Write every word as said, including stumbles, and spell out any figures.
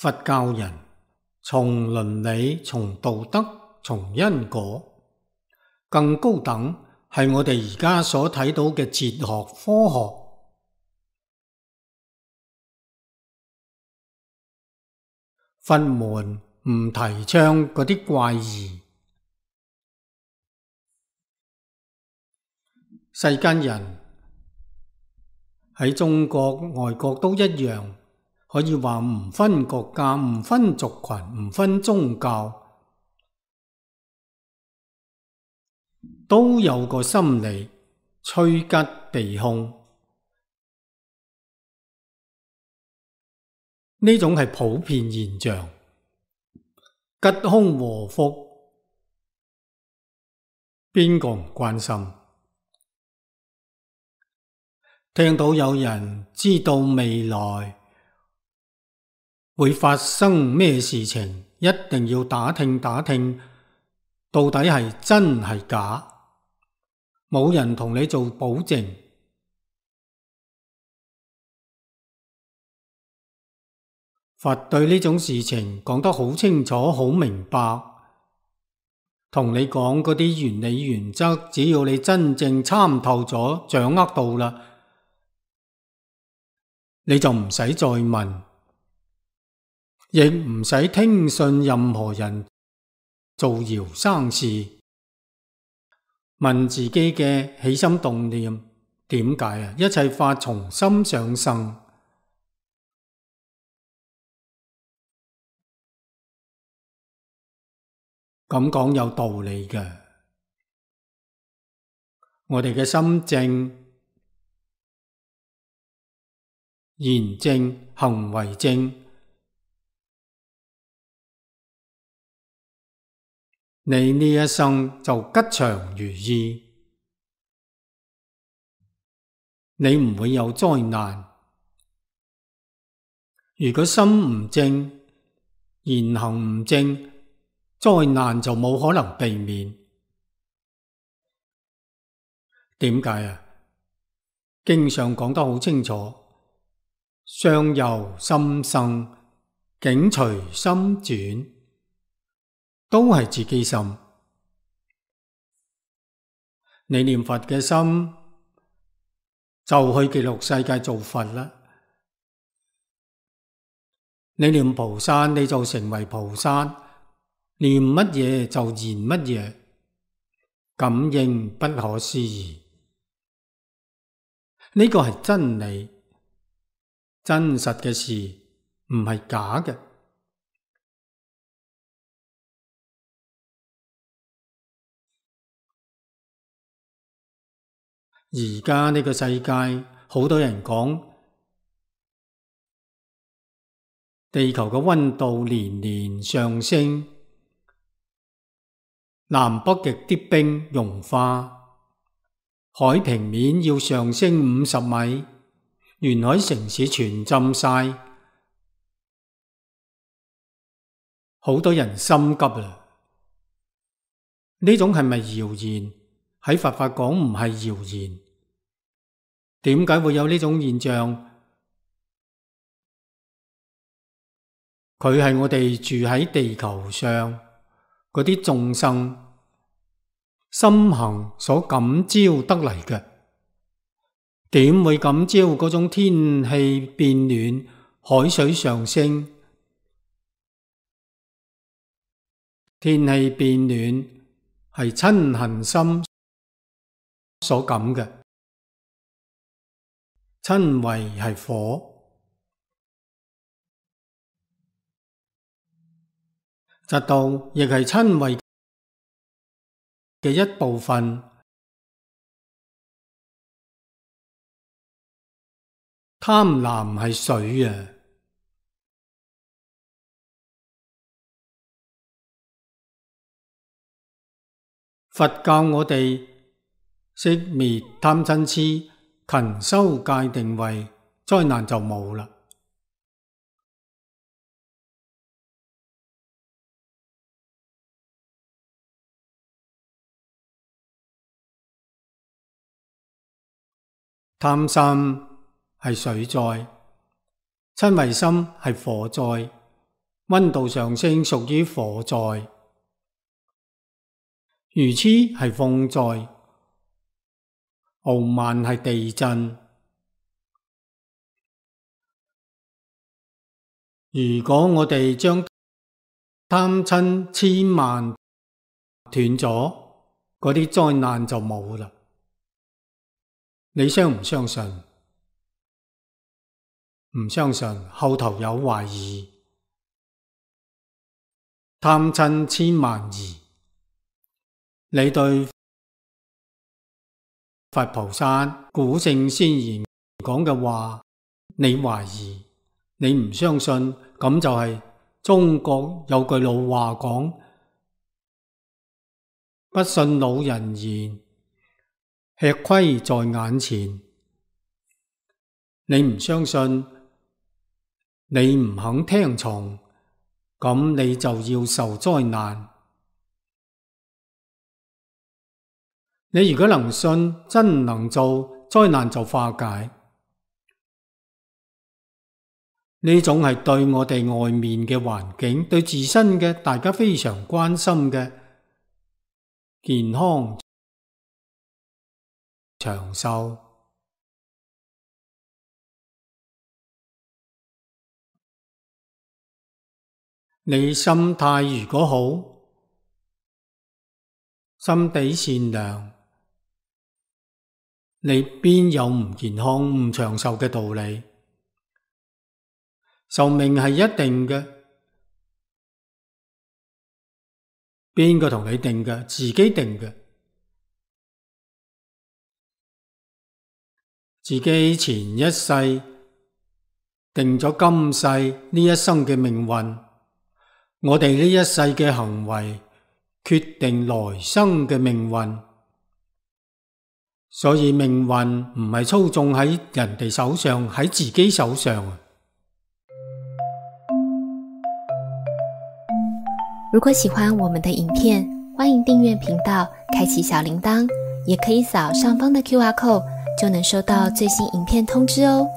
佛教人從倫理、從道德、從因果，更高等係我哋而家所睇到嘅哲學、科學。佛門唔提倡嗰啲怪異。世間人喺中國、外國都一樣，可以話唔分國家、唔分族群、唔分宗教，都有個心理趨吉避凶。呢種係普遍現象，吉凶禍福，邊個唔關心？聽到有人知道未來會發生咩事情，一定要打聽打聽，到底係真係假？冇人同你做保證。佛對呢種事情講得好清楚、好明白，同你講嗰啲原理原則，只要你真正參透咗、掌握到啦，你就唔使再問，亦唔使聽信任何人造謠生事，問自己嘅起心動念，點解啊？一切法從心想生。咁講有道理嘅，我哋嘅心正、言正、行為正，你呢一生就吉祥如意，你唔會有災難。如果心唔正、言行唔正，災難就冇可能避免。點解啊？經上講得好清楚，相由心生，境隨心轉，都係自己心。你念佛嘅心，就去極樂世界做佛啦。你念菩薩，你就成為菩薩。念乜嘢就言乜嘢，感應不可思議。呢個係真理，真實嘅事，唔係假嘅。而家呢個世界，好多人講地球嘅溫度年年上升。南北極啲冰融化，海平面要上升五十米，沿海城市全浸晒，好多人心急啦。呢種係咪謠言？喺佛法講唔係謠言。點解會有呢種現象？佢係我哋住喺地球上嗰啲眾生心行所感召得嚟嘅，點會感召嗰種天氣變暖、海水上升？天氣變暖係嗔恨心所感嘅，嗔恚係火，嫉妒亦係嗔恚嘅一部分。貪婪係水啊！佛教我哋熄滅貪嗔癡，勤修戒定慧，災難就冇啦。貪心係水災，嗔恚心係火災。溫度上升屬於火災，愚痴係風災，傲慢係地震。如果我哋將貪嗔痴慢斷咗，嗰啲災難就冇啦。你相唔相信？唔相信，後頭有懷疑。貪嗔痴慢疑，你對佛菩薩古聖先賢講嘅話，你懷疑，你唔相信，咁就係中國有句老話講，不信老人言，吃虧在眼前。你唔相信，你唔肯聽從，咁你就要受災難。你如果能信，真能做，災難就化解。呢種係對我哋外面嘅環境，對自身嘅大家非常關心嘅健康長壽。你心態如果好，心地善良，你邊有唔健康唔長壽嘅道理？壽命係一定嘅，邊個同你定嘅？自己定嘅。自己前一世定咗今世呢一生嘅命運，我哋呢一世嘅行為決定來生嘅命運。所以命運唔係操縱喺人哋手上，喺自己手上。如果喜歡我們的影片，歡迎訂閱頻道，開啟小鈴鐺，也可以掃上方的 Q R code，就能收到最新影片通知哦。